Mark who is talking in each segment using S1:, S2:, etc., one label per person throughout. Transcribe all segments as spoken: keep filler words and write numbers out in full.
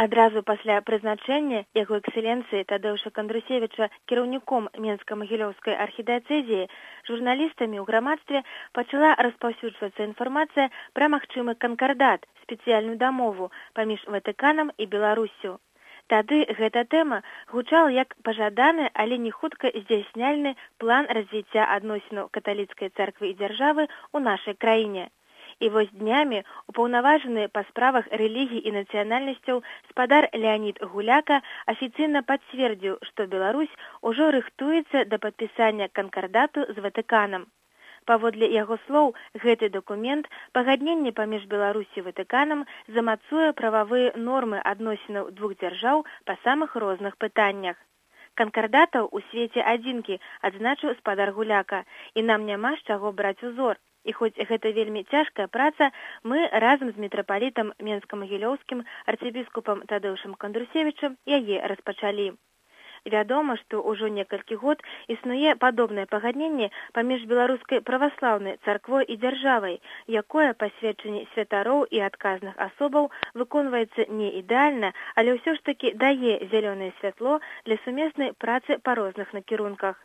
S1: Адразу пасля прызначэння яго эксцэленцыі Тадеуша Кандрусевіча кіраўніком Менска-Магілёўскай архідыяцэзіі журналістамі ў грамадстве пачала распаўсюджвацца інфармацыя пра магчымы канкардат, спецыяльную дамову паміж Ватыканам і Беларуссю. Тады гэта тэма гучала як пажаданы, але не хутка здзяйсняльны план развіцця адносінаў каталіцкай царквы і дзяржавы ў нашай краіне. І вось днямі упаўнаважаны па справах рэлігій і нацыянальнасцяў спадар Леанід Гуляка афіцыйна пацвердзіў, што Беларусь ужо рыхтуецца да падпісання канкардату з Ватыканам. Паводле яго слоў, гэты дакумент пагадненне паміж Беларусі і Ватыканам замацуе прававыя нормы адносінаў двух дзяржаў па самых розных пытаннях. Канкардатаў у свеце адзінкі, адзначыў спадар Гуляка, і нам няма з чаго браць узор. І хоць гэта вельмі цяжкая праца, мы разам з мітрапалітам Менска-Магілёўскім арцыбіскупам Тадеушам Кандрусевічам яе распачалі. Вядома, што ўжо некалькі год існуе падобнае пагадненне паміж беларускай праваслаўнай царквой і дзяржавай, якое па сведчанні святароў і адказных асобаў выконваецца не ідэальна, але ўсё ж такі дае зялёнае святло для сумеснай працы па розных накірунках.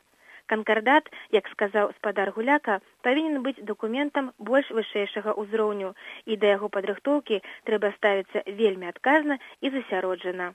S1: Канкардат, як сказаў спадар Гуляка, павінен быць дакументам больш вышэйшага ўзроўню, і да яго падрыхтоўкі трэба ставіцца вельмі адказна і засяроджана.